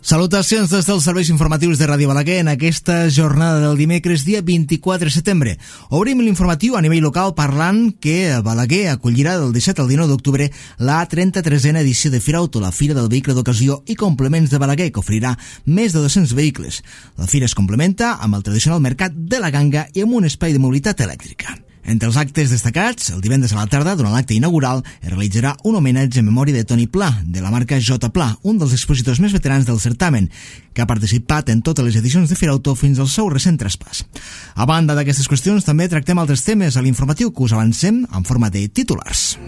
Salutacions des dels serveis informatius de Ràdio Balaguer en aquesta jornada del dimecres, dia 24 de setembre. Obrim l'informatiu a nivell local parlant que Balaguer acollirà del 17 al 19 d'octubre la 33a edició de Firauto, la Fira del Vehicle d'Ocasió i Complements de Balaguer, que oferirà més de 200 vehicles. La fira es complementa amb el tradicional mercat de la ganga i amb un espai de mobilitat elèctrica. Entre els actes destacats, el divendres a la tarda, durant l'acte inaugural, es realitzarà un homenatge en memòria de Toni Pla, de la marca J Pla, un dels expositors més veterans del certamen, que ha participat en totes les edicions de Firauto fins al seu recent traspàs. A banda d'aquestes qüestions, també tractem altres temes a l'informatiu que us avancem en forma de titulars.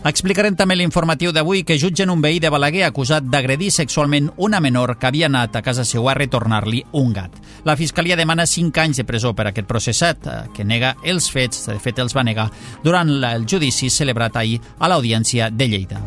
Explicarem també l'informatiu d'avui que jutgen un veí de Balaguer acusat d'agredir sexualment una menor que havia anat a casa seva a retornar-li un gat. La Fiscalia demana 5 anys de presó per a aquest processat, que nega els fets, de fet els va negar, durant el judici celebrat ahir a l'Audiència de Lleida.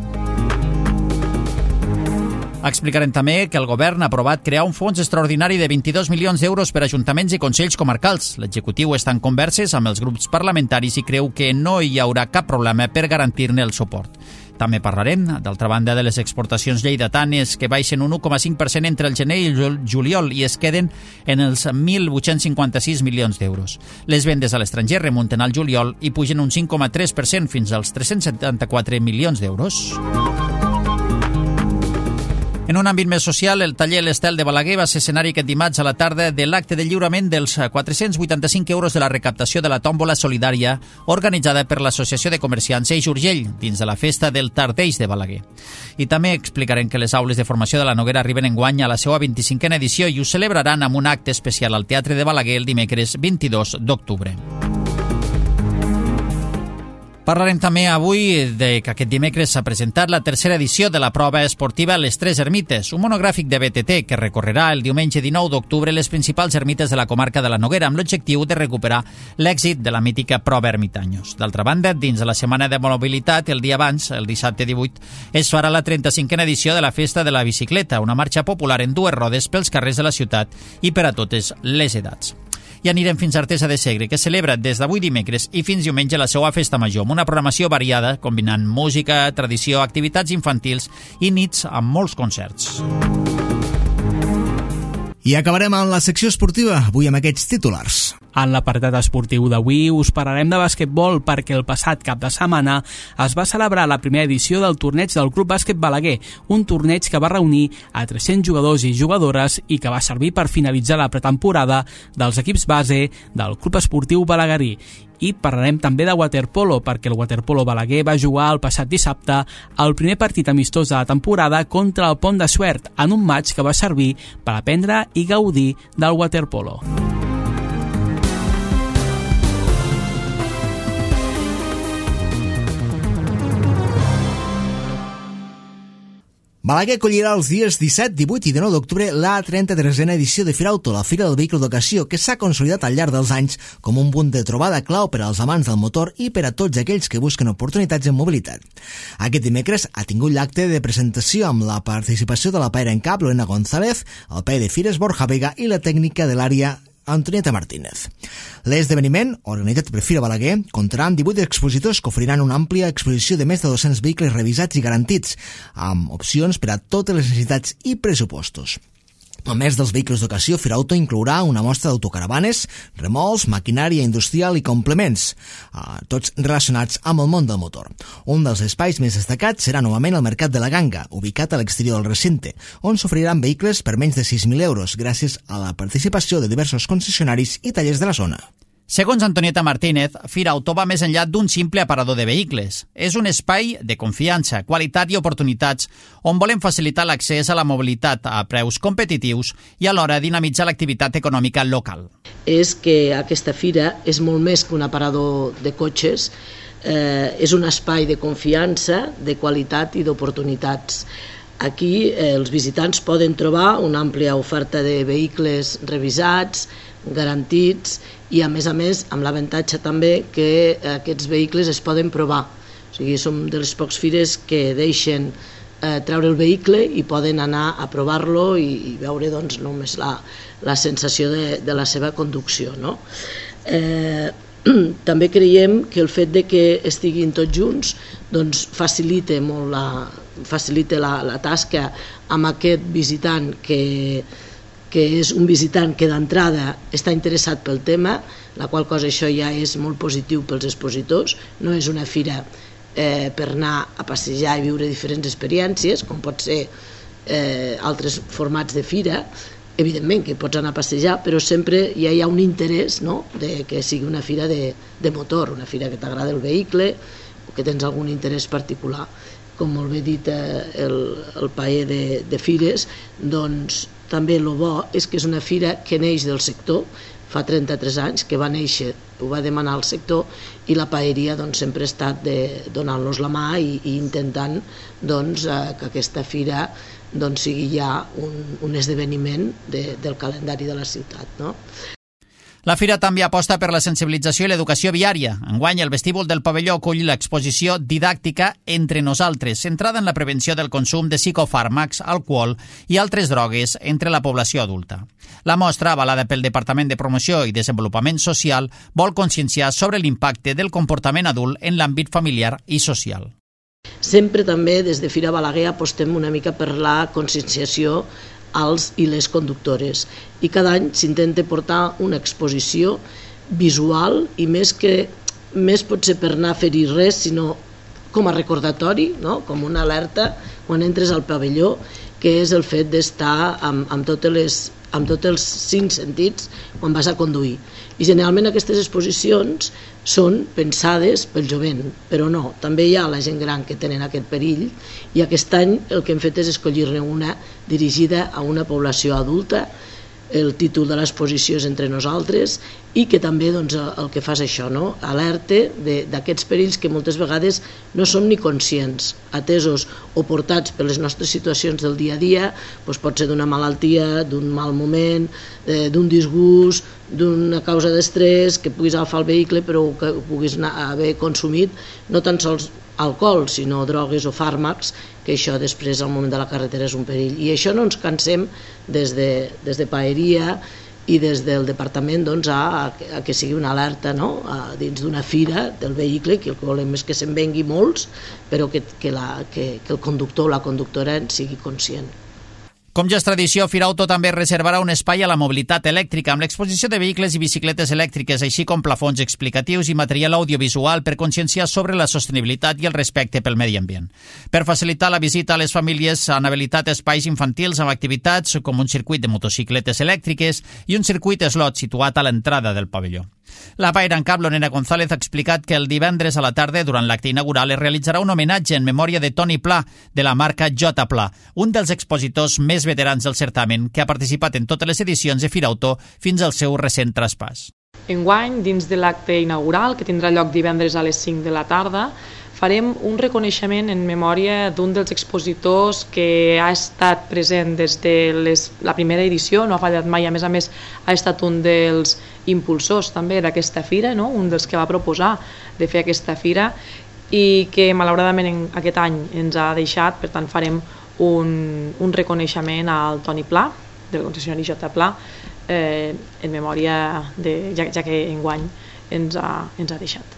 Explicarem també que el govern ha aprovat crear un fons extraordinari de 22 milions d'euros per a ajuntaments i consells comarcals. L'executiu està en converses amb els grups parlamentaris i creu que no hi haurà cap problema per garantir-ne el suport. També parlarem, d'altra banda, de les exportacions lleidatanes que baixen un 1,5% entre el gener i el juliol i es queden en els 1.856 milions d'euros. Les vendes a l'estranger remunten al juliol i pugen un 5,3% fins als 374 milions d'euros. En un àmbit més social, el taller L'Estel de Balaguer va ser escenari aquest dimarts a la tarda de l'acte de lliurament dels 485 euros de la recaptació de la tòmbola solidària organitzada per l'Associació de Comerciants Eix Urgell dins de la festa del Tardeix de Balaguer. I també explicarem que les aules de formació de la Noguera arriben enguany a la seva 25a edició i ho celebraran amb un acte especial al Teatre de Balaguer el dimecres 22 d'octubre. Parlarem també avui de que aquest dimecres s'ha presentat la tercera edició de la prova esportiva Les Tres Ermites, un monogràfic de BTT que recorrerà el diumenge 19 d'octubre les principals ermites de la comarca de la Noguera amb l'objectiu de recuperar l'èxit de la mítica prova Ermitanyos. D'altra banda, dins de la setmana de mobilitat, el dia abans, el dissabte 18, es farà la 35a edició de la Festa de la Bicicleta, una marxa popular en 2 rodes pels carrers de la ciutat i per a totes les edats. I anirem fins a Artesa de Segre, que celebra des d'avui dimecres i fins diumenge la seva festa major, amb una programació variada, combinant música, tradició, activitats infantils i nits amb molts concerts. I acabarem amb la secció esportiva, avui amb aquests titulars. En l'apartat esportiu d'avui us parlarem de basquetbol perquè el passat cap de setmana es va celebrar la primera edició del torneig del Club Bàsquet Balaguer, un torneig que va reunir a 300 jugadors i jugadores i que va servir per finalitzar la pretemporada dels equips base del Club Esportiu Balaguerí. I parlarem també de waterpolo, perquè el waterpolo Balaguer va jugar el passat dissabte el primer partit amistós de la temporada contra el Pont de Suert, en un match que va servir per aprendre i gaudir del waterpolo. Balaguer acollirà els dies 17, 18 i 19 d'octubre la 33a edició de Firauto, la Fira del Vehicle d'Ocasió, que s'ha consolidat al llarg dels anys com un punt de trobada clau per als amants del motor i per a tots aquells que busquen oportunitats en mobilitat. Aquest dimecres ha tingut l'acte de presentació amb la participació de la paera en cap Lorena González, el paer de Fires Borja Vega i la tècnica de l'àrea Antonieta Martínez. L'esdeveniment, organitzat per Fira Balaguer, comptarà amb 18 expositors que oferiran una àmplia exposició de més de 200 vehicles revisats i garantits, amb opcions per a totes les necessitats i pressupostos. A més dels vehicles d'ocasió, Firauto inclourà una mostra d'autocaravanes, remolcs, maquinària industrial i complements, tots relacionats amb el món del motor. Un dels espais més destacats serà novament el Mercat de la Ganga, ubicat a l'exterior del recinte, on s'oferiran vehicles per menys de 6.000 euros, gràcies a la participació de diversos concessionaris i tallers de la zona. Segons Antonieta Martínez, Firauto va més enllà d'un simple aparador de vehicles. És un espai de confiança, qualitat i oportunitats on volem facilitar l'accés a la mobilitat a preus competitius i alhora dinamitzar l'activitat econòmica local. És que aquesta fira és molt més que un aparador de cotxes, és un espai de confiança, de qualitat i d'oportunitats. Aquí els visitants poden trobar una àmplia oferta de vehicles revisats, garantits i a més amb l'avantatge també que aquests vehicles es poden provar. O sigui, som de les pocs fires que deixen treure el vehicle i poden anar a provar-lo i veure doncs, només la sensació de la seva conducció, no? També creiem que el fet de que estiguin tots junts doncs facilita molt la tasca amb aquest visitant que és un visitant que d'entrada està interessat pel tema, la qual cosa això ja és molt positiu pels expositors. No és una fira per anar a passejar i viure diferents experiències, com pot ser altres formats de fira. Evidentment que pots anar a passejar, però sempre ja hi ha un interès, no?, de que sigui una fira de motor, una fira que t'agrada el vehicle o que tens algun interès particular. Com molt bé dit el paer de fires, doncs també el bo és que és una fira que neix del sector, fa 33 anys que va néixer, ho va demanar el sector, i la paeria doncs, sempre ha estat donant-los la mà i intentant doncs, que aquesta fira doncs, sigui ja un esdeveniment del calendari de la ciutat, no? La fira també aposta per la sensibilització i l'educació viària. Enguany, el vestíbul del pavelló acull l'exposició didàctica Entre nosaltres, centrada en la prevenció del consum de psicofàrmacs, alcohol i altres drogues entre la població adulta. La mostra, avalada pel Departament de Promoció i Desenvolupament Social, vol conscienciar sobre l'impacte del comportament adult en l'àmbit familiar i social. Sempre també des de Fira Balaguer apostem una mica per la conscienciació als i les conductores, i cada any s'intenta portar una exposició visual i més potser per anar a fer-hi res, sinó com a recordatori, no?, com una alerta quan entres al pavelló, que és el fet d'estar amb tots els 5 sentits quan vas a conduir. I generalment aquestes exposicions són pensades pel jovent, però no, també hi ha la gent gran que tenen aquest perill, i aquest any el que hem fet és escollir-ne una dirigida a una població adulta. El títol de l'exposició és Entre nosaltres, i que també doncs, el que fa és això, no?, alerta d'aquests perills que moltes vegades no som ni conscients, atesos o portats per les nostres situacions del dia a dia, doncs pot ser d'una malaltia, d'un mal moment, d'un disgust, d'una causa d'estrès, que puguis agafar el vehicle però que puguis haver consumit no tan sols alcohol, sinó drogues o fàrmacs, que això després al moment de la carretera és un perill. I això no ens cansem des de paeria i des del departament doncs, a que sigui una alerta, no?, dins d'una fira del vehicle, que el que volem és que se'n vengui molts, però que el conductor o la conductora en sigui conscient. Com ja és tradició, Firauto també reservarà un espai a la mobilitat elèctrica amb l'exposició de vehicles i bicicletes elèctriques, així com plafons explicatius i material audiovisual per conscienciar sobre la sostenibilitat i el respecte pel medi ambient. Per facilitar la visita a les famílies han habilitat espais infantils amb activitats com un circuit de motocicletes elèctriques i un circuit slot situat a l'entrada del pavelló. La paire en cap, Lorena González, ha explicat que el divendres a la tarda, durant l'acte inaugural, es realitzarà un homenatge en memòria de Toni Pla, de la marca J Pla, un dels expositors més veterans del certamen, que ha participat en totes les edicions de Firauto fins al seu recent traspàs. Enguany, dins de l'acte inaugural, que tindrà lloc divendres a les 5 de la tarda, farem un reconeixement en memòria d'un dels expositors que ha estat present des de la primera edició, no ha fallat mai, a més ha estat un dels impulsors també d'aquesta fira, no?, un dels que va proposar de fer aquesta fira, i que malauradament aquest any ens ha deixat. Per tant farem un reconeixement al Toni Pla, del concessionari J Pla, en memòria ja que enguany ens ha deixat.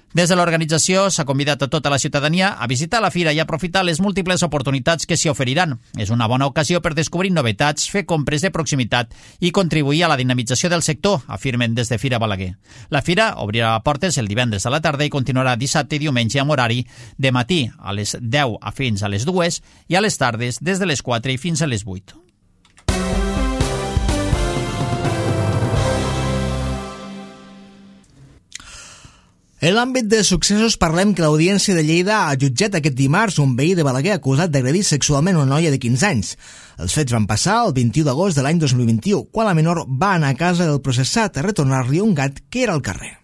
Des de l'organització s'ha convidat a tota la ciutadania a visitar la fira i aprofitar les múltiples oportunitats que s'hi oferiran. És una bona ocasió per descobrir novetats, fer compres de proximitat i contribuir a la dinamització del sector, afirmen des de Fira Balaguer. La fira obrirà portes el divendres a la tarda i continuarà dissabte i diumenge amb horari de matí a les 10 fins a les 2 i a les tardes des de les 4 i fins a les 8. En l'àmbit de successos parlem que l'Audiència de Lleida ha jutjat aquest dimarts un veí de Balaguer acusat d'agredir sexualment una noia de 15 anys. Els fets van passar el 21 d'agost de l'any 2021, quan la menor va anar a casa del processat a retornar-li un gat que era al carrer.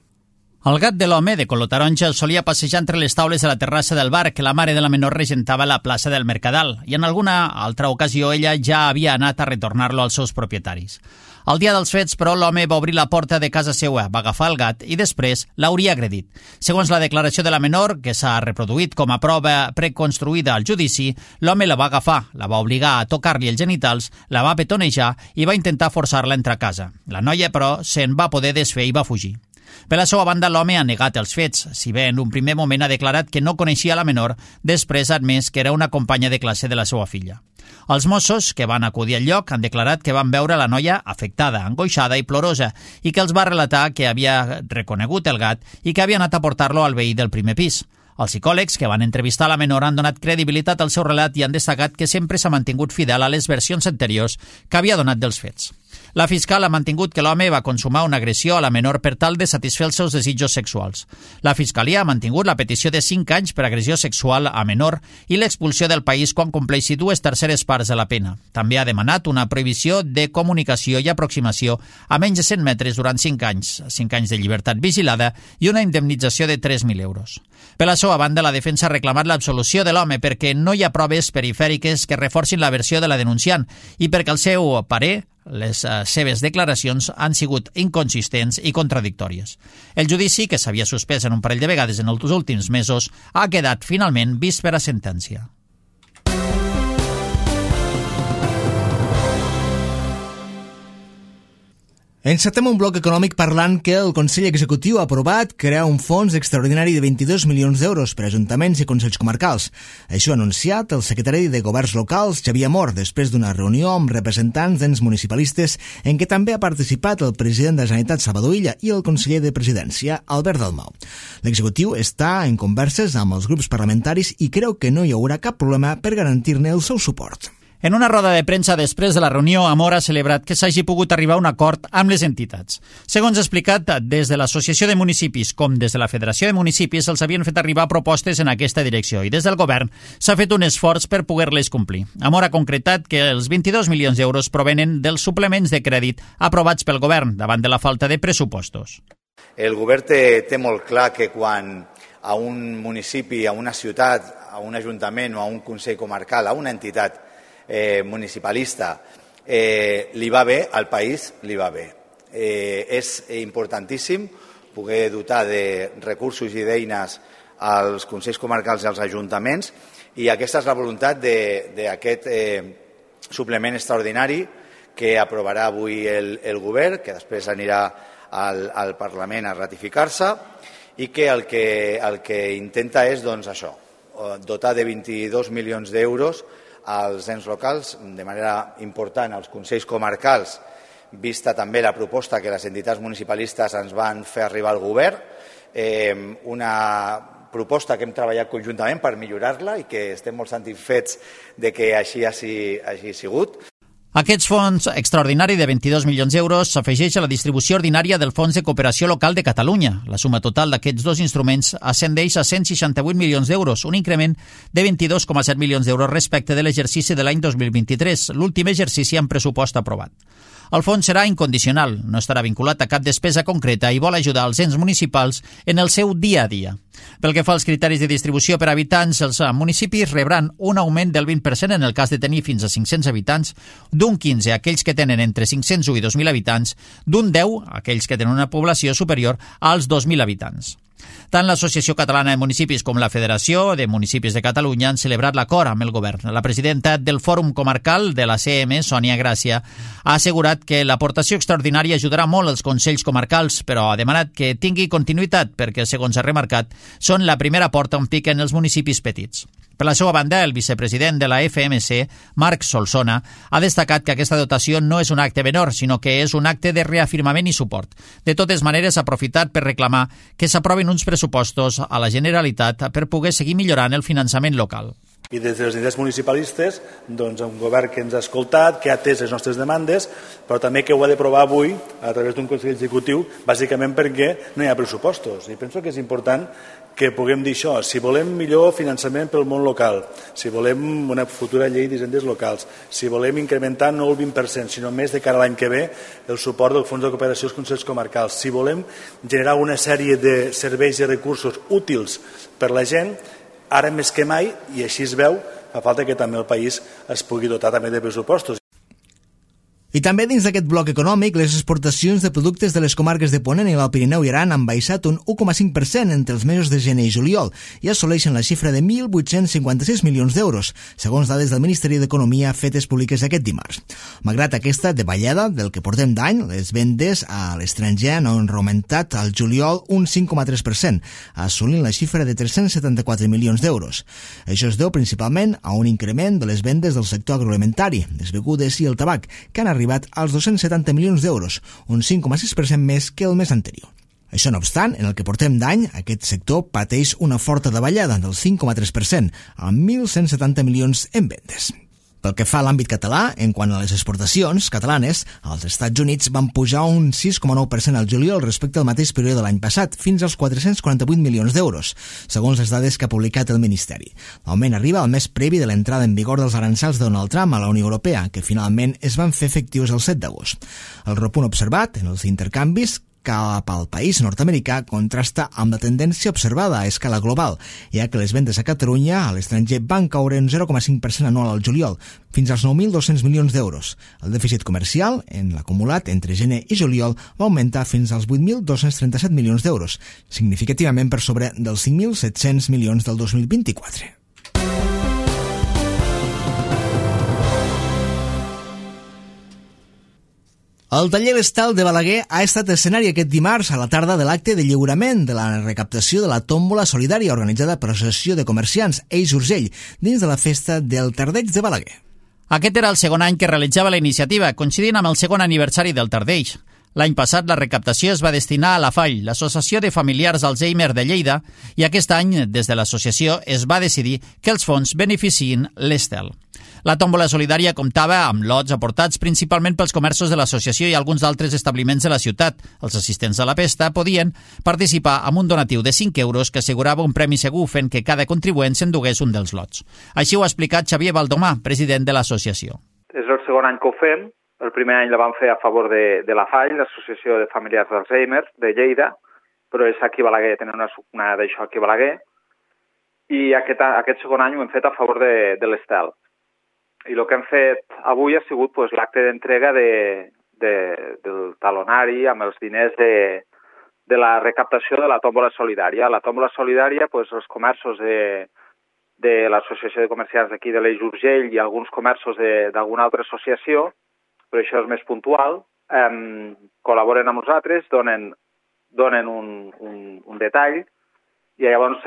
El gat de l'home, de color taronja, el solia passejar entre les taules de la terrassa del bar que la mare de la menor regentava a la plaça del Mercadal, i en alguna altra ocasió ella ja havia anat a retornar-lo als seus propietaris. El dia dels fets, però, l'home va obrir la porta de casa seva, va agafar el gat i després l'hauria agredit. Segons la declaració de la menor, que s'ha reproduït com a prova preconstruïda al judici, l'home la va agafar, la va obligar a tocar-li els genitals, la va petonejar i va intentar forçar-la a entrar a casa. La noia, però, se'n va poder desfer i va fugir. Per la seva banda, l'home ha negat els fets, si bé en un primer moment ha declarat que no coneixia la menor, després ha admès que era una companya de classe de la seva filla. Els Mossos, que van acudir al lloc, han declarat que van veure la noia afectada, angoixada i plorosa, i que els va relatar que havia reconegut el gat i que havia anat a portar-lo al veí del primer pis. Els psicòlegs que van entrevistar la menor han donat credibilitat al seu relat i han destacat que sempre s'ha mantingut fidel a les versions anteriors que havia donat dels fets. La fiscal ha mantingut que l'home va consumar una agressió a la menor per tal de satisfer els seus desitjos sexuals. La Fiscalia ha mantingut la petició de 5 anys per agressió sexual a menor i l'expulsió del país quan compleixi 2/3 parts de la pena. També ha demanat una prohibició de comunicació i aproximació a menys de 100 metres durant 5 anys, 5 anys de llibertat vigilada i una indemnització de 3.000 euros. Per la seva banda, la defensa ha reclamat l'absolució de l'home perquè no hi ha proves perifèriques que reforcin la versió de la denunciant i perquè al seu parer les seves declaracions han sigut inconsistents i contradictòries. El judici, que s'havia suspès en un parell de vegades en els últims mesos, ha quedat finalment vist per a sentència. Encetem un bloc econòmic parlant que el Consell Executiu ha aprovat crear un fons extraordinari de 22 milions d'euros per a ajuntaments i consells comarcals. Això ha anunciat el secretari de Governs Locals, Xavier Amor, després d'una reunió amb representants d'ens municipalistes en què també ha participat el president de la Generalitat, Salvador Illa, i el conseller de Presidència, Albert Dalmau. L'executiu està en converses amb els grups parlamentaris i creu que no hi haurà cap problema per garantir-ne el seu suport. En una roda de premsa després de la reunió, Amor ha celebrat que s'hagi pogut arribar a un acord amb les entitats. Segons ha explicat, des de l'Associació de Municipis com des de la Federació de Municipis els havien fet arribar propostes en aquesta direcció i des del govern s'ha fet un esforç per poder-les complir. Amor ha concretat que els 22 milions d'euros provenen dels suplements de crèdit aprovats pel govern davant de la falta de pressupostos. El govern té molt clar que quan a un municipi, a una ciutat, a un ajuntament o a un consell comarcal, a una entitat municipalista li va bé, al país li va bé. És importantíssim poder dotar de recursos i d'eines als consells comarcals i als ajuntaments i aquesta és la voluntat d'aquest suplement extraordinari que aprovarà avui el govern, que després anirà al Parlament a ratificar-se i que el que intenta és doncs, això, dotar de 22 milions d'euros als ens locals, de manera important als consells comarcals, vista també la proposta que les entitats municipalistes ens van fer arribar al govern, una proposta que hem treballat conjuntament per millorar-la i que estem molt satisfets de que així hagi sigut. Aquest fons extraordinari de 22 milions d'euros s'afegeix a la distribució ordinària del Fons de Cooperació Local de Catalunya. La suma total d'aquests dos instruments ascendeix a 168 milions d'euros, un increment de 22,7 milions d'euros respecte de l'exercici de l'any 2023, l'últim exercici amb pressupost aprovat. El fons serà incondicional, no estarà vinculat a cap despesa concreta i vol ajudar els ens municipals en el seu dia a dia. Pel que fa als criteris de distribució per habitants, els municipis rebran un augment del 20% en el cas de tenir fins a 500 habitants, d'un 15 a aquells que tenen entre 501 i 2.000 habitants, d'un 10 a aquells que tenen una població superior als 2.000 habitants. Tant l'Associació Catalana de Municipis com la Federació de Municipis de Catalunya han celebrat l'acord amb el govern. La presidenta del Fòrum Comarcal de la CM, Sònia Gràcia, ha assegurat que l'aportació extraordinària ajudarà molt els consells comarcals, però ha demanat que tingui continuïtat perquè, segons ha remarcat, són la primera porta on piquen els municipis petits. Per la seva banda, el vicepresident de la FMC, Marc Solsona, ha destacat que aquesta dotació no és un acte menor, sinó que és un acte de reafirmament i suport. De totes maneres, ha aprofitat per reclamar que s'aprovin uns pressupostos a la Generalitat per poder seguir millorant el finançament local. I des de les entitats municipalistes, doncs, un govern que ens ha escoltat, que ha atès les nostres demandes, però també que ho ha d'aprovar avui a través d'un Consell Executiu, bàsicament perquè no hi ha pressupostos. I penso que és important que puguem dir això. Si volem millor finançament pel món local, si volem una futura llei d'hisendes locals, si volem incrementar no el 20%, sinó més de cara a l'any que ve, el suport del Fons de Cooperació als Consells Comarcals, si volem generar una sèrie de serveis i recursos útils per la gent, ara més que mai, i així es veu, fa falta que també el país es pugui dotar també de pressupostos. I també dins d'aquest bloc econòmic, les exportacions de productes de les comarques de Ponent i l'Alt Pirineu i Aran han baixat un 1,5% entre els mesos de gener i juliol i assoleixen la xifra de 1.856 milions d'euros, segons dades del Ministeri d'Economia fetes públiques aquest dimarts. Malgrat aquesta davallada del que portem d'any, les vendes a l'estranger han augmentat al juliol un 5,3%, assolint la xifra de 374 milions d'euros. Això es deu principalment a un increment de les vendes del sector agroalimentari, les begudes i el tabac, que han arribat als 270 milions d'euros, un 5,6% més que el mes anterior. Això no obstant, en el que portem d'any, aquest sector pateix una forta davallada del 5,3%, amb 1.170 milions en vendes. Pel que fa a l'àmbit català, en quant a les exportacions catalanes, els Estats Units van pujar un 6,9% al juliol respecte al mateix període de l'any passat, fins als 448 milions d'euros, segons les dades que ha publicat el Ministeri. L'augment arriba al mes previ de l'entrada en vigor dels aranzels de Donald Trump a la Unió Europea, que finalment es van fer efectius el 7 d'agost. El repunt observat en els intercanvis cap al país nord-americà contrasta amb la tendència observada a escala global, ja que les vendes a Catalunya a l'estranger van caure un 0,5% anual al juliol, fins als 9.200 milions d'euros. El dèficit comercial, en l'acumulat entre gener i juliol, va augmentar fins als 8.237 milions d'euros, significativament per sobre dels 5.700 milions del 2024. El taller L'Estel de Balaguer ha estat escenari aquest dimarts a la tarda de l'acte de lliurament de la recaptació de la tòmbola solidària organitzada per l'Associació de Comerciants Eix Urgell dins de la festa del Tardeig de Balaguer. Aquest era el segon any que realitzava la iniciativa, coincidint amb el segon aniversari del Tardeix. L'any passat la recaptació es va destinar a la FALL, l'Associació de Familiars d'Alzheimer de Lleida, i aquest any, des de l'associació, es va decidir que els fons beneficiïn l'Estel. La tòmbola solidària comptava amb lots aportats principalment pels comerços de l'associació i alguns d'altres establiments de la ciutat. Els assistents a la festa podien participar amb un donatiu de 5 euros que assegurava un premi segur fent que cada contribuent s'endugués un dels lots. Així ho ha explicat Xavier Baldomà, president de l'associació. És el segon any que ho fem. El primer any la vam fer a favor de la FALL, l'Associació de Familiars d'Alzheimer de Lleida, però és aquí a Balaguer, tenen una d'això aquí a Balaguer, i aquest segon any ho hem fet a favor de l'Estel. I el que hem fet avui ha sigut l'acte d'entrega del talonari amb els diners de la recaptació de la tòmbola solidària. La tòmbola solidària, els comerços de l'Associació de Comerciants d'aquí de l'Eix Urgell i alguns comerços d'alguna altra associació, però això és més puntual, col·laboren amb nosaltres, donen un detall, i llavors,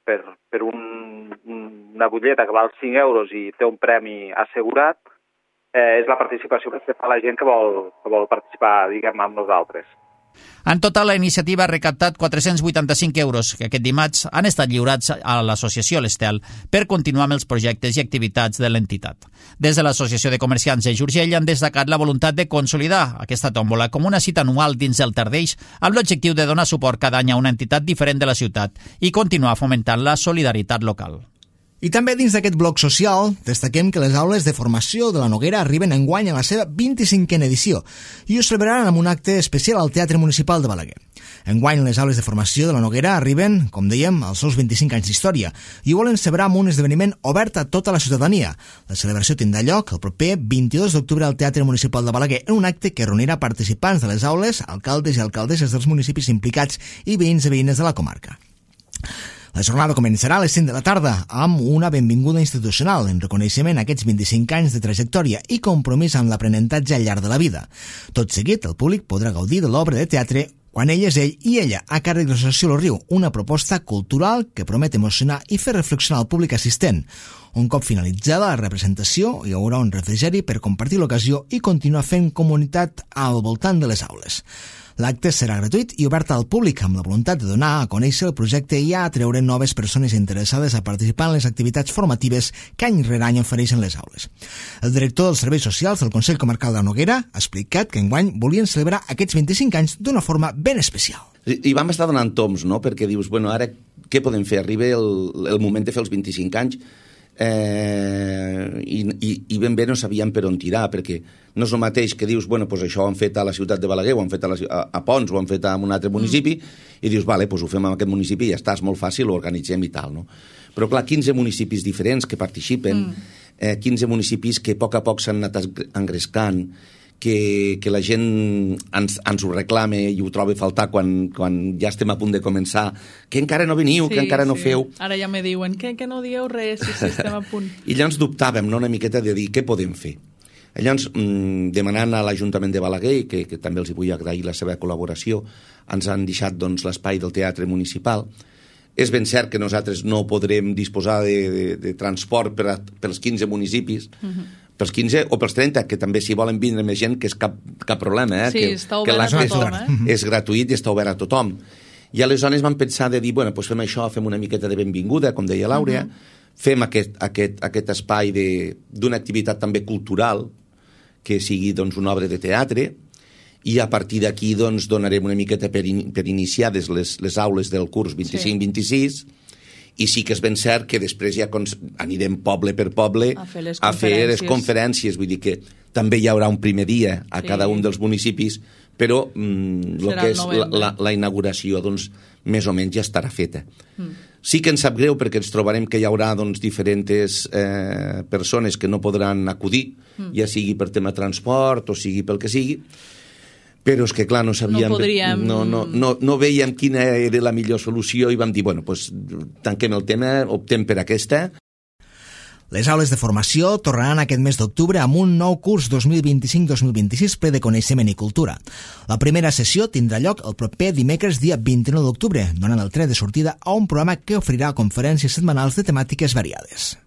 per una butlleta que val 5 euros i té un premi assegurat, és la participació que fa la gent que vol participar, diguem, amb nosaltres. En total, la iniciativa ha recaptat 485 euros que aquest dimarts han estat lliurats a l'associació L'Estel per continuar amb els projectes i activitats de l'entitat. Des de l'Associació de Comerciants Eix Urgell han destacat la voluntat de consolidar aquesta tòmbola com una cita anual dins el Tardeix amb l'objectiu de donar suport cada any a una entitat diferent de la ciutat i continuar fomentant la solidaritat local. I també dins d'aquest bloc social destaquem que les aules de formació de la Noguera arriben enguany a la seva 25a edició i ho celebraran amb un acte especial al Teatre Municipal de Balaguer. Enguany les aules de formació de la Noguera arriben, com dèiem, als seus 25 anys d'història i ho volen celebrar amb un esdeveniment obert a tota la ciutadania. La celebració tindrà lloc el proper 22 d'octubre al Teatre Municipal de Balaguer en un acte que reunirà participants de les aules, alcaldes i alcaldesses dels municipis implicats i veïns i veïnes de la comarca. La jornada començarà a les 5 de la tarda amb una benvinguda institucional en reconeixement a aquests 25 anys de trajectòria i compromís amb l'aprenentatge al llarg de la vida. Tot seguit, el públic podrà gaudir de l'obra de teatre Quan ell és ell i ella, a càrrec de l'Associació Lo Riu, una proposta cultural que promet emocionar i fer reflexionar el públic assistent. Un cop finalitzada la representació, hi haurà un refrigeri per compartir l'ocasió i continuar fent comunitat al voltant de les aules. L'acte serà gratuït i obert al públic amb la voluntat de donar a conèixer el projecte i a atreure noves persones interessades a participar en les activitats formatives que any rere any ofereixen les aules. El director dels Serveis Socials del Consell Comarcal de Noguera ha explicat que enguany volien celebrar aquests 25 anys d'una forma ben especial. I vam estar donant toms, no?, perquè dius, bueno, ara què podem fer? Arriba el moment de fer els 25 anys i ben bé no sabíem per on tirar, perquè no és el mateix que dius, bueno, doncs això ho han fet a la ciutat de Balaguer, ho han fet a Pons, ho han fet en un altre municipi, i dius, vale, doncs ho fem en aquest municipi i ja està, és molt fàcil, ho organitzem i tal, no? Però clar, 15 municipis diferents que participen, 15 municipis que a poc s'han anat engrescant, que la gent ens ho reclama i ho troba a faltar quan ja estem a punt de començar, que encara no veniu, que encara no feu. Ara ja me diuen que no dieu res, si estem a punt. I llavors dubtàvem, no?, una miqueta de dir què podem fer. Llavors, demanant a l'Ajuntament de Balaguer, que també els vull agrair la seva col·laboració, ens han deixat l'espai del teatre municipal. És ben cert que nosaltres no podrem disposar de transport pels 15 municipis, pels 15 o pels 30, que també si volen vindre més gent, que és cap problema. Sí, està obert a tothom. És gratuït i està obert a tothom. I aleshores vam pensar de dir, bueno, doncs fem això, fem una miqueta de benvinguda, com deia l'Àurea, fem aquest espai d'una activitat també cultural, que sigui una obra de teatre, i a partir d'aquí donarem una miqueta per iniciades les aules del curs 25-26, i sí que és ben cert que després ja anirem poble per poble a fer les conferències, vull dir que també hi haurà un primer dia a cada un dels municipis, però el que és la inauguració més o menys ja estarà feta. Sí que ens sap greu perquè ens trobarem que hi haurà diferents persones que no podran acudir, ja sigui per tema transport o sigui pel que sigui, però és que, clar, no sabíem... No veiem quina era la millor solució i vam dir, bueno, doncs tanquem el tema, optem per aquesta. Les aules de formació tornaran aquest mes d'octubre amb un nou curs 2025-2026 ple de coneixement i cultura. La primera sessió tindrà lloc el proper dimecres dia 29 d'octubre, donant el tret de sortida a un programa que oferirà conferències setmanals de temàtiques variades.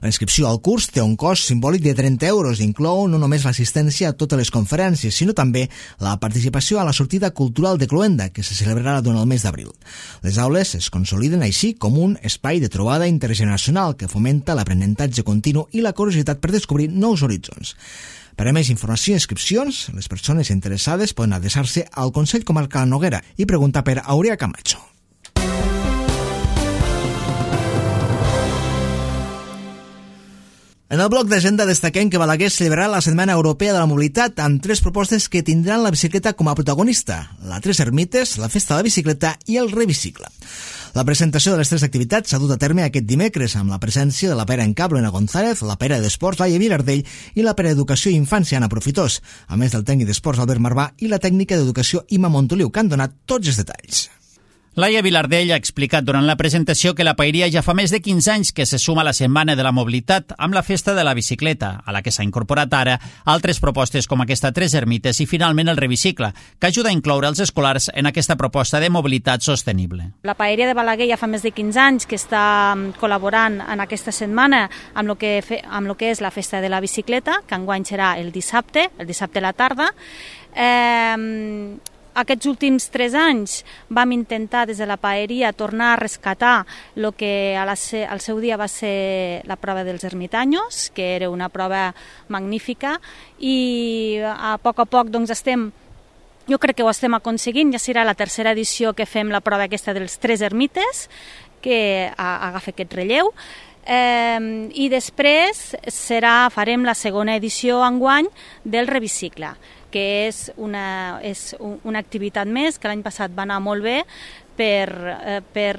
La inscripció al curs té un cost simbòlic de 30 euros i inclou no només l'assistència a totes les conferències, sinó també la participació a la sortida cultural de Cloenda, que se celebrarà durant el mes d'abril. Les aules es consoliden així com un espai de trobada intergeneracional que fomenta l'aprenentatge continu i la curiositat per descobrir nous horitzons. Per a més informació i inscripcions, les persones interessades poden adreçar-se al Consell Comarcal Noguera i preguntar per Aurea Camacho. En el bloc d'agenda destaquem que Balaguer celebrarà la Setmana Europea de la Mobilitat amb 3 propostes que tindran la bicicleta com a protagonista: la 3 Ermites, la Festa de la Bicicleta i el Revicicle. La presentació de les 3 activitats s'ha dut a terme aquest dimecres amb la presència de la Pera en Cable, Ana González, la Pera d'Esports, Laia Vilardell, i la Pera d'Educació i Infància, Anna Profitós, a més del tècnic d'Esports, Albert Marvà, i la tècnica d'Educació, Imma Montoliu, que han donat tots els detalls. Laia Vilardell ha explicat durant la presentació que la Paeria ja fa més de 15 anys que se suma a la Setmana de la Mobilitat amb la Festa de la Bicicleta, a la que s'ha incorporat ara altres propostes com aquesta 3 Ermites i finalment el Revicicle, que ajuda a incloure els escolars en aquesta proposta de mobilitat sostenible. La Paeria de Balaguer ja fa més de 15 anys que està col·laborant en aquesta setmana amb el que és la Festa de la Bicicleta, que enguany serà el dissabte a la tarda. Aquests últims 3 anys vam intentar des de la Paeria tornar a rescatar el que al seu dia va ser la prova dels ermitanyos, que era una prova magnífica, i a poc jo crec que ho estem aconseguint. Ja serà la 3a edició que fem la prova aquesta dels 3 ermites, que agafa aquest relleu. I després farem la 2a edició enguany del Revicicle, que és una activitat més que l'any passat va anar molt bé per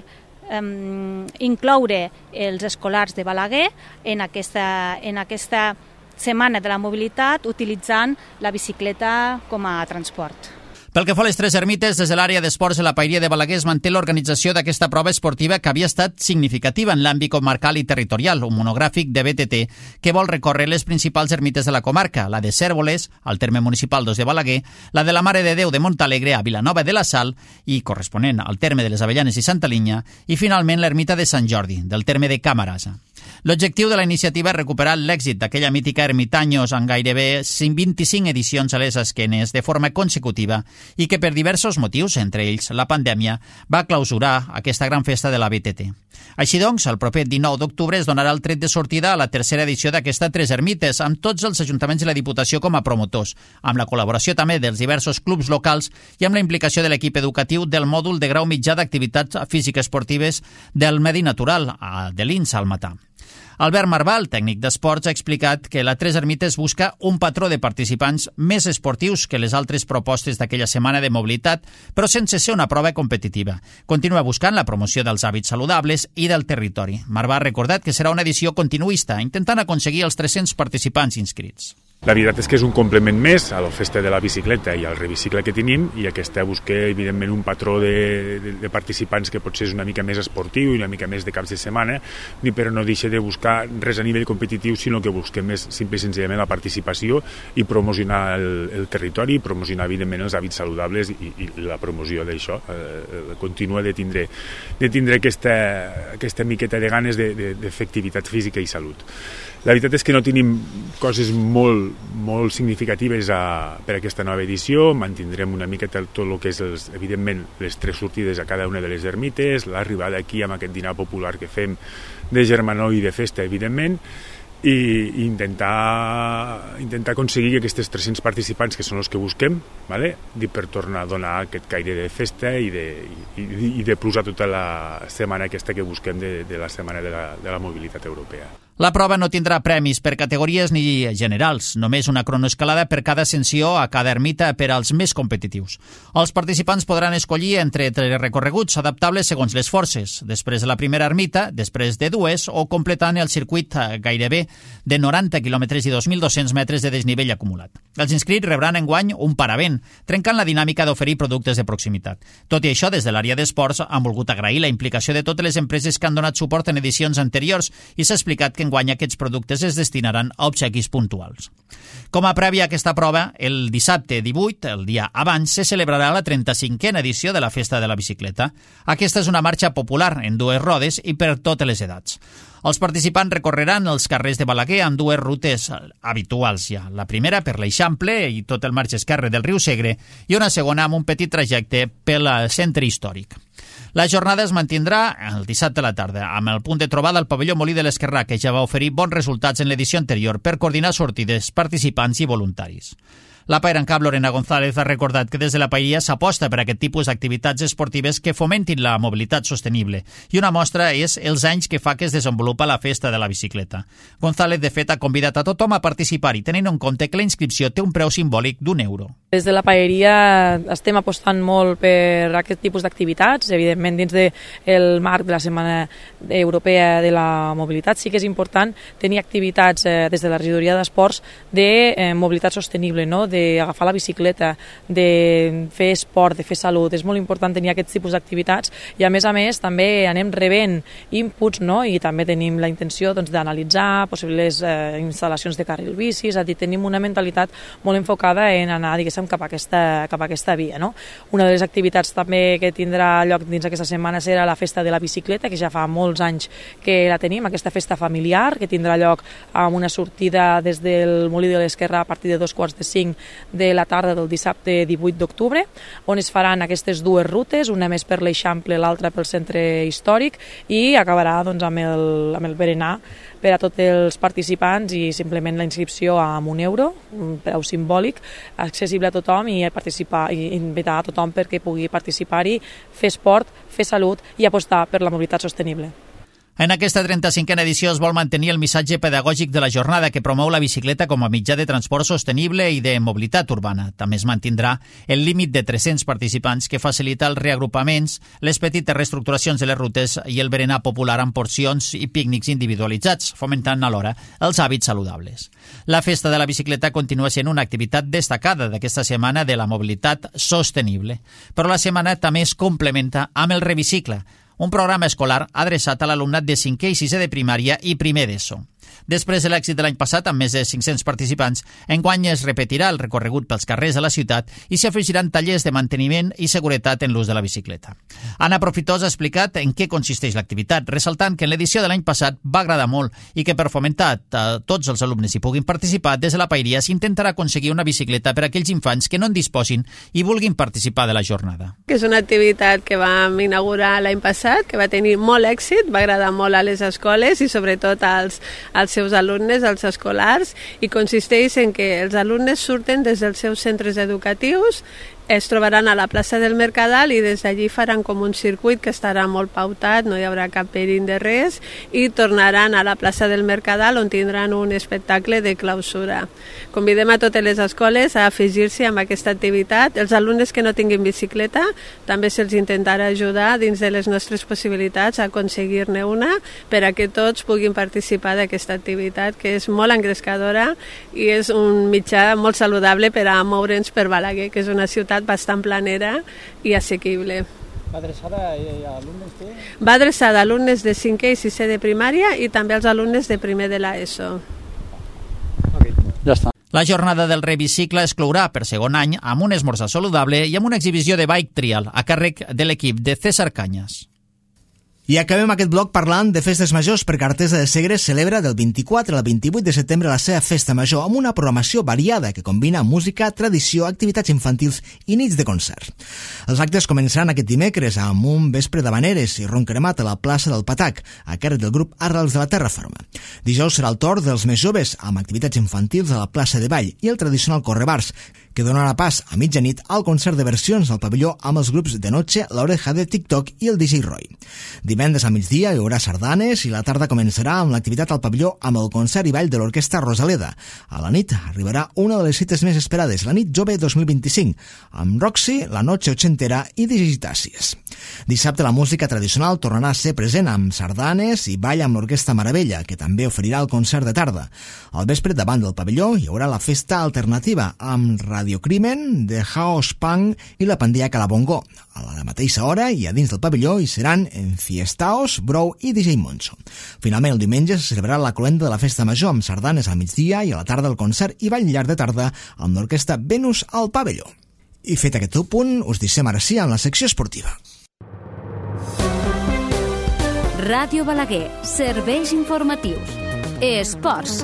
incloure els escolars de Balaguer en aquesta Setmana de la Mobilitat utilitzant la bicicleta com a transport. Pel que fa a les 3 Ermites, des de l'àrea d'esports de la Paeria de Balaguer es manté l'organització d'aquesta prova esportiva que havia estat significativa en l'àmbit comarcal i territorial, un monogràfic de BTT que vol recórrer les principals ermites de la comarca, la de Cérvoles, al terme municipal de Balaguer, la de la Mare de Déu de Montalegre a Vilanova de la Sal i corresponent al terme de les Avellanes i Santa Linya, i finalment l'ermita de Sant Jordi, del terme de Camarasa. L'objectiu de la iniciativa és recuperar l'èxit d'aquella mítica Ermitanyos en gairebé 25 edicions a les esquenes de forma consecutiva i que per diversos motius, entre ells la pandèmia, va clausurar aquesta gran festa de la BTT. Així doncs, el proper 19 d'octubre es donarà el tret de sortida a la 3a edició d'aquesta 3 Ermites, amb tots els ajuntaments i la Diputació com a promotors, amb la col·laboració també dels diversos clubs locals i amb la implicació de l'equip educatiu del mòdul de grau mitjà d'activitats físiques esportives del Medi Natural, de l'INS al Matà. Albert Marval, tècnic d'esports, ha explicat que la Tres Ermites busca un patró de participants més esportius que les altres propostes d'aquella setmana de mobilitat, però sense ser una prova competitiva. Continua buscant la promoció dels hàbits saludables i del territori. Marval ha recordat que serà una edició continuista, intentant aconseguir els 300 participants inscrits. La veritat és que és un complement més a la festa de la bicicleta i al revicicle que tenim, i aquesta busca, evidentment, un patró de participants que potser és una mica més esportiu i una mica més de caps de setmana, però no deixa de buscar res a nivell competitiu, sinó que busquem més simple i senzillament la participació i promocionar el territori, i promocionar, evidentment, els hàbits saludables i la promoció d'això. Continua de tindre aquesta miqueta de ganes de fer activitat física i salut. La veritat és que no tenim coses molt significatives per a aquesta nova edició. Mantindrem una miqueta tot el que és, evidentment, les 3 sortides a cada una de les ermites, l'arribada aquí amb aquest dinar popular que fem de germanor i de festa, evidentment, i intentar aconseguir aquests 300 participants, que són els que busquem, per tornar a donar aquest caire de festa i de plus a tota la setmana aquesta que busquem de la setmana de la mobilitat europea. La prova no tindrà premis per categories ni generals, només una cronoescalada per cada ascensió a cada ermita per als més competitius. Els participants podran escollir entre recorreguts adaptables segons les forces, després de la primera ermita, després de 2 o completant el circuit gairebé de 90 quilòmetres i 2.200 metres de desnivell acumulat. Els inscrits rebran enguany un paravent, trencant la dinàmica d'oferir productes de proximitat. Tot i això, des de l'àrea d'esports han volgut agrair la implicació de totes les empreses que han donat suport en edicions anteriors i s'ha explicat que enguany aquests productes es destinaran a obsequis puntuals. Com a prèvia a aquesta prova, el dissabte 18, el dia abans, se celebrarà la 35a edició de la Festa de la Bicicleta. Aquesta és una marxa popular en 2 rodes i per totes les edats. Els participants recorreran els carrers de Balaguer amb 2 rutes habituals ja. La primera per l'Eixample i tot el marge esquerre del riu Segre i una segona amb un petit trajecte pel centre històric. La jornada es mantindrà el dissabte a la tarda, amb el punt de trobada al pavelló Molí de l'Esquerrà, que ja va oferir bons resultats en l'edició anterior per coordinar sortides, participants i voluntaris. La Paire en Cap, Lorena González, ha recordat que des de la Paeria s'aposta per aquest tipus d'activitats esportives que fomentin la mobilitat sostenible, i una mostra és els anys que fa que es desenvolupa la Festa de la Bicicleta. González, de fet, ha convidat a tothom a participar-hi, tenint en compte que la inscripció té un preu simbòlic d'€1. Des de la Paeria estem apostant molt per aquest tipus d'activitats, evidentment dins del marc de la Setmana Europea de la Mobilitat. Sí que és important tenir activitats des de la Regidoria d'Esports de mobilitat sostenible, no? D'agafar la bicicleta, de fer esport, de fer salut. És molt important tenir aquests tipus d'activitats i a més també anem rebent inputs, no? I també tenim la intenció d'analitzar possibles instal·lacions de carril bici, és a dir, tenim una mentalitat molt enfocada en anar, diguéssim, cap a aquesta via, no? Una de les activitats també que tindrà lloc dins aquesta setmana serà la Festa de la Bicicleta, que ja fa molts anys que la tenim, aquesta festa familiar, que tindrà lloc amb una sortida des del Molí de l'Esquerrà a partir de 2:45 de la tarda del dissabte 18 d'octubre, on es faran aquestes 2 rutes, una més per l'Eixample, l'altra pel centre històric, i acabarà amb el berenar per a tots els participants, i simplement la inscripció amb €1, un preu simbòlic, accessible a tothom, i invitar a tothom perquè pugui participar-hi, fer esport, fer salut i apostar per la mobilitat sostenible. En aquesta 35a edició es vol mantenir el missatge pedagògic de la jornada, que promou la bicicleta com a mitjà de transport sostenible i de mobilitat urbana. També es mantindrà el límit de 300 participants, que facilita els reagrupaments, les petites reestructuracions de les rutes i el berenar popular amb porcions i pícnics individualitzats, fomentant alhora els hàbits saludables. La Festa de la Bicicleta continua sent una activitat destacada d'aquesta setmana de la mobilitat sostenible, però la setmana també es complementa amb el Revicicle, un programa escolar adreçat a l'alumnat de 5è i 6è de primària i primer d'ESO. Després de l'èxit de l'any passat, amb més de 500 participants, enguany es repetirà el recorregut pels carrers de la ciutat i s'hi afegiran tallers de manteniment i seguretat en l'ús de la bicicleta. Anna Profitós ha explicat en què consisteix l'activitat, ressaltant que en l'edició de l'any passat va agradar molt i que per fomentar que tots els alumnes hi puguin participar, des de la Paeria s'intentarà aconseguir una bicicleta per a aquells infants que no en disposin i vulguin participar de la jornada. És una activitat que vam inaugurar l'any passat, que va tenir molt èxit, va agradar molt a les escoles i sobretot als seus alumnes, als escolars, i consisteix en que els alumnes surten des dels seus centres educatius es trobaran a la plaça del Mercadal i des d'allí faran com un circuit que estarà molt pautat, no hi haurà cap perill de res, i tornaran a la plaça del Mercadal on tindran un espectacle de clausura. Convidem a totes les escoles a afegir-se a aquesta activitat. Els alumnes que no tinguin bicicleta també se'ls intentarà ajudar dins de les nostres possibilitats a aconseguir-ne una per a que tots puguin participar d'aquesta activitat que és molt engrescadora i és un mitjà molt saludable per a moure'ns per Balaguer, que és una ciutat bastant planera i assequible. Va adreçada a alumnes de? Va adreçada a alumnes de 5è i 6è de primària i també als alumnes de primer de l'ESO. Ja està. La jornada del Revicicle es clourà per segon any amb un esmorzar saludable i amb una exhibició de bike trial a càrrec de l'equip de César Cañas. I acabem aquest bloc parlant de festes majors perquè Artesa de Segre celebra del 24 al 28 de setembre la seva festa major amb una programació variada que combina música, tradició, activitats infantils i nits de concert. Els actes començaran aquest dimecres amb un vespre d'habaneres i ron cremat a la plaça del Patac, a càrrec del grup Arrels de la Terra Ferma. Dijous serà el torn dels més joves amb activitats infantils a la plaça de Vall i el tradicional correbars, que donarà pas a mitjanit al concert de versions al pavelló amb els grups de Noche, La Oreja de TikTok i el DJ Roy. Divendres a migdia hi haurà sardanes i la tarda començarà amb l'activitat al pavelló amb el concert i ball de l'Orquestra Rosaleda. A la nit arribarà una de les cites més esperades, la Nit Jove 2025, amb Roxy, La Noche Ochentera i Digitàcies. Dissabte la música tradicional tornarà a ser present amb sardanes i ball amb l'Orquestra Maravella, que també oferirà el concert de tarda. Al vespre, davant del pavelló, hi haurà la festa alternativa amb Radiocrimen, The House Punk i la Pandilla Calabongo. A la mateixa hora i a dins del pavelló hi seran Enfiestaos, Brou i DJ Moncho. Finalment, el diumenge se celebrarà la cloenda de la festa major amb sardanes al migdia i a la tarda el concert i ball llarg de tarda amb l'orquestra Venus al pavelló. I fet aquest punt, us deixem ara sí amb la secció esportiva. Ràdio Balaguer, serveis informatius. Esports.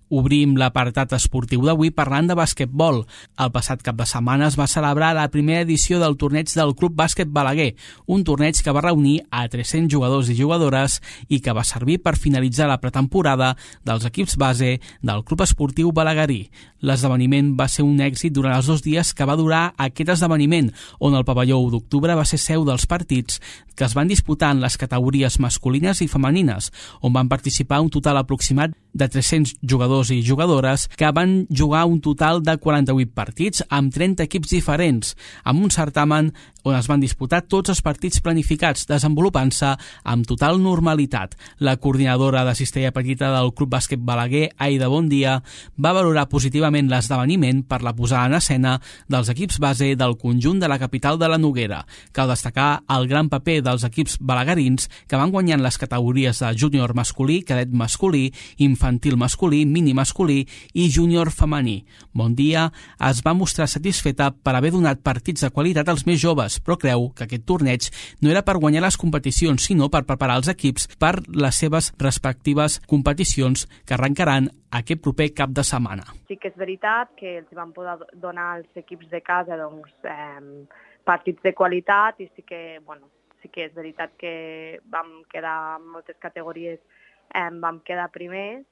Obrim l'apartat esportiu d'avui parlant de basquetbol. El passat cap de setmana es va celebrar la primera edició del torneig del Club Bàsquet Balaguer, un torneig que va reunir a 300 jugadors i jugadores i que va servir per finalitzar la pretemporada dels equips base del Club Esportiu Balaguerí. L'esdeveniment va ser un èxit durant els 2 dies que va durar aquest esdeveniment, on el pavelló 1 d'octubre va ser seu dels partits que es van disputar en les categories masculines i femenines, on van participar un total aproximat de 300 jugadors i jugadores que van jugar un total de 48 partits amb 30 equips diferents, amb un certamen on es van disputar tots els partits planificats, desenvolupant-se amb total normalitat. La coordinadora de Cistella Petita del Club Bàsquet Balaguer, Aida Bondia, va valorar positivament l'esdeveniment per la posada en escena dels equips base del conjunt de la capital de la Noguera. Cal destacar el gran paper dels equips balaguerins que van guanyant les categories de júnior masculí, cadet masculí, infantil masculí, mini masculí i júnior femení. Bondia es va mostrar satisfeta per haver donat partits de qualitat als més joves, però creu que aquest torneig no era per guanyar les competicions, sinó per preparar els equips per les seves respectives competicions que arrencaran aquest proper cap de setmana. Sí que és veritat que els van poder donar als equips de casa partits de qualitat i sí que és veritat que vam quedar en moltes categories, vam quedar primers,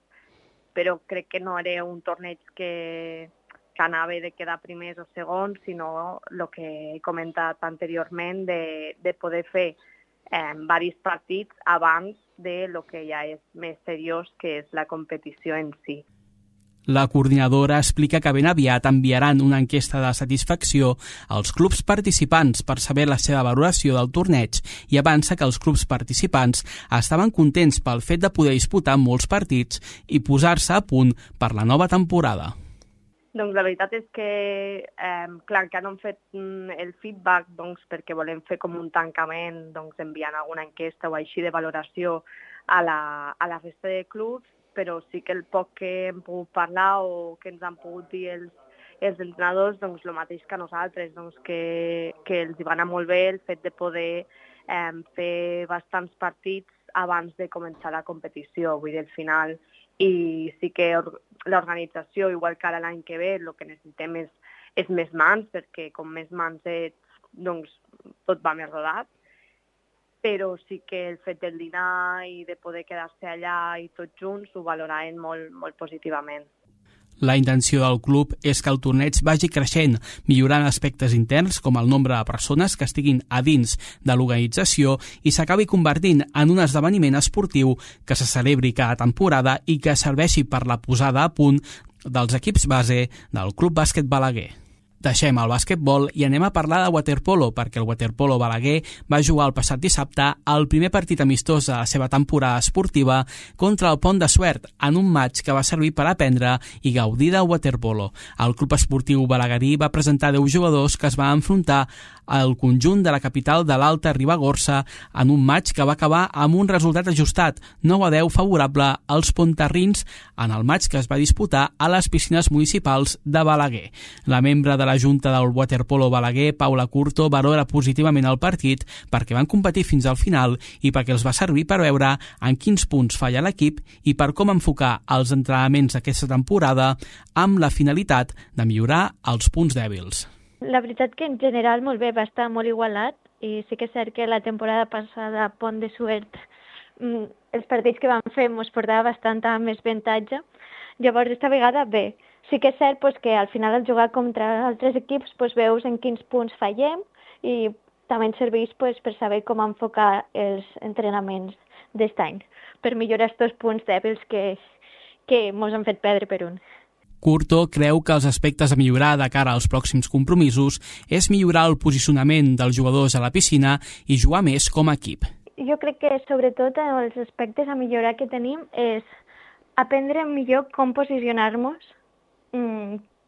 però crec que no era un torneig que anava de quedar primers o segons, sinó el que he comentat anteriorment de poder fer diversos partits abans de lo que ja és més seriós, que és la competició en si. La coordinadora explica que ben aviat enviaran una enquesta de satisfacció als clubs participants per saber la seva valoració del torneig i avança que els clubs participants estaven contents pel fet de poder disputar molts partits i posar-se a punt per la nova temporada. Doncs la veritat és que, clar, que no hem fet el feedback perquè volem fer com un tancament enviant alguna enquesta o així de valoració a la resta de clubs, però sí que el poc que hem pogut parlar o que ens han pogut dir els entrenadors, el mateix que nosaltres, que els hi va anar molt bé el fet de poder fer bastants partits abans de començar la competició, vull dir, al final. I sí que l'organització, igual que ara l'any que ve, el que necessitem és més mans, perquè com més mans ets, tot va més rodat. Però sí que el fet del dinar i de poder quedar-se allà i tots junts ho valoraven molt, molt positivament. La intenció del club és que el torneig vagi creixent, millorant aspectes interns com el nombre de persones que estiguin a dins de l'organització i s'acabi convertint en un esdeveniment esportiu que se celebri cada temporada i que serveixi per la posada a punt dels equips base del Club Bàsquet Balaguer. Deixem el bàsquetbol i anem a parlar de waterpolo, perquè el waterpolo Balaguer va jugar el passat dissabte el primer partit amistós de la seva temporada esportiva contra el Pont de Suert, en un match que va servir per aprendre i gaudir del waterpolo. El club esportiu balaguerí va presentar 10 jugadors que es van enfrontar al conjunt de la capital de l'Alta Ribagorça en un match que va acabar amb un resultat ajustat, 9-10 favorable als pontarrins en el match que es va disputar a les piscines municipals de Balaguer. La membre de la Junta del Waterpolo Balaguer, Paula Curto, valora positivament el partit perquè van competir fins al final i perquè els va servir per veure en quins punts falla l'equip i per com enfocar els entrenaments d'aquesta temporada amb la finalitat de millorar els punts dèbils. La veritat que en general molt bé, va estar molt igualat i sí que és cert que la temporada passada a Pont de Suert els partits que vam fer ens portava bastant més avantatge. Llavors, esta vegada bé. Sí que és cert que al final al jugar contra altres equips veus en quins punts fallem i també ens serveix per saber com enfocar els entrenaments d'aquest any per millorar aquests punts dèbils que ens han fet perdre per un. Curto creu que els aspectes a millorar de cara als pròxims compromisos és millorar el posicionament dels jugadors a la piscina i jugar més com a equip. Jo crec que sobretot els aspectes a millorar que tenim és aprendre millor com posicionar-nos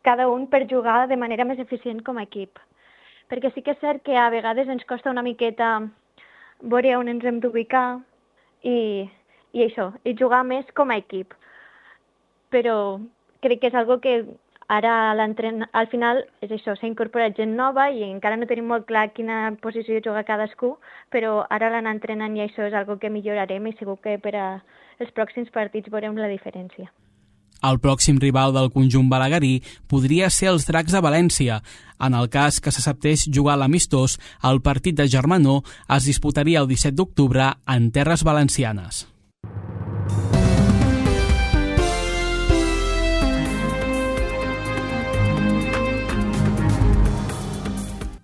cada un per jugar de manera més eficient com a equip. Perquè sí que és cert que a vegades ens costa una miqueta veure on ens hem d'ubicar i això, i jugar més com a equip. Però crec que és algo que ara al final és això, s'ha incorporat gent nova i encara no tenim molt clar quina posició juga cadascú, però ara l'anar entrenant i això és algo que millorarem i segur que per als pròxims partits veurem la diferència. El pròxim rival del conjunt balaguerí podria ser els Dracs de València. En el cas que s'acceptés jugar l'amistós, el partit de germanor es disputaria el 17 d'octubre en terres valencianes.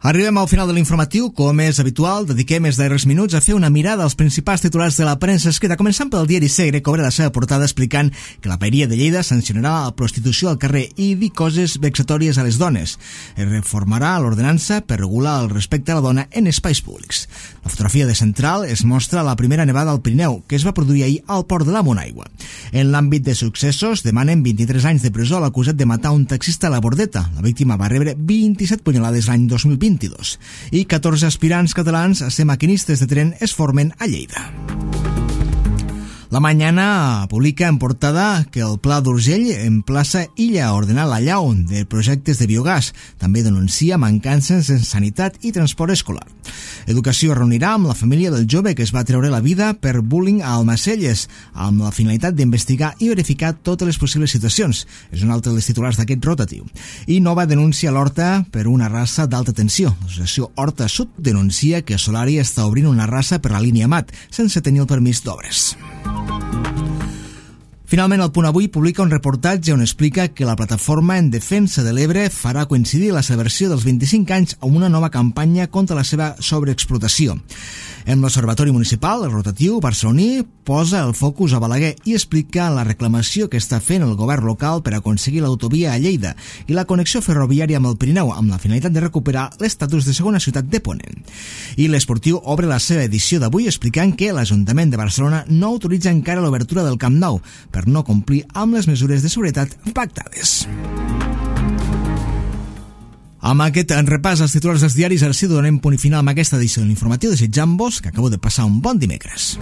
Arribem al final de l'informatiu. Com és habitual, dediquem els darrers minuts a fer una mirada als principals titulars de la premsa escrita, començant pel diari Segre, que obre la seva portada explicant que la Paeria de Lleida sancionarà la prostitució al carrer i dir coses vexatòries a les dones. Es reformarà l'ordenança per regular el respecte a la dona en espais públics. La fotografia de Central es mostra la primera nevada al Pirineu, que es va produir ahir al port de la Monaigua. En l'àmbit de successos, demanen 23 anys de presó a l'acusat de matar un taxista a la Bordeta. La víctima va rebre 27 punyalades l'any 2020. I 14 aspirants catalans a ser maquinistes de tren es formen a Lleida. La Mañana publica en portada que el Pla d'Urgell emplaça Illa a ordenar l'allau de projectes de biogàs. També denuncia mancances en sanitat i transport escolar. Educació reunirà amb la família del jove que es va treure la vida per bullying a Almacelles, amb la finalitat d'investigar i verificar totes les possibles situacions. És un altre dels titulars d'aquest rotatiu. I Nova denuncia l'Horta per una raça d'alta tensió. L'associació Horta Sud denuncia que Solari està obrint una raça per la línia Mat, sense tenir el permís d'obres. Finalment, el Punt Avui publica un reportatge on explica que la plataforma en defensa de l'Ebre farà coincidir la celebració dels 25 anys amb una nova campanya contra la seva sobreexplotació. En l'Observatori Municipal, el rotatiu barceloní posa el focus a Balaguer i explica la reclamació que està fent el govern local per aconseguir l'autovia a Lleida i la connexió ferroviària amb el Pirineu, amb la finalitat de recuperar l'estatus de segona ciutat de Ponent. I l'Esportiu obre la seva edició d'avui explicant que l'Ajuntament de Barcelona no autoritza encara l'obertura del Camp Nou per no complir amb les mesures de seguretat pactades. Amb aquest repàs als titulars dels diaris, ara sí donem punt final amb aquesta edició de l'informatiu, desitjant-vos que acabeu de passar un bon dimecres.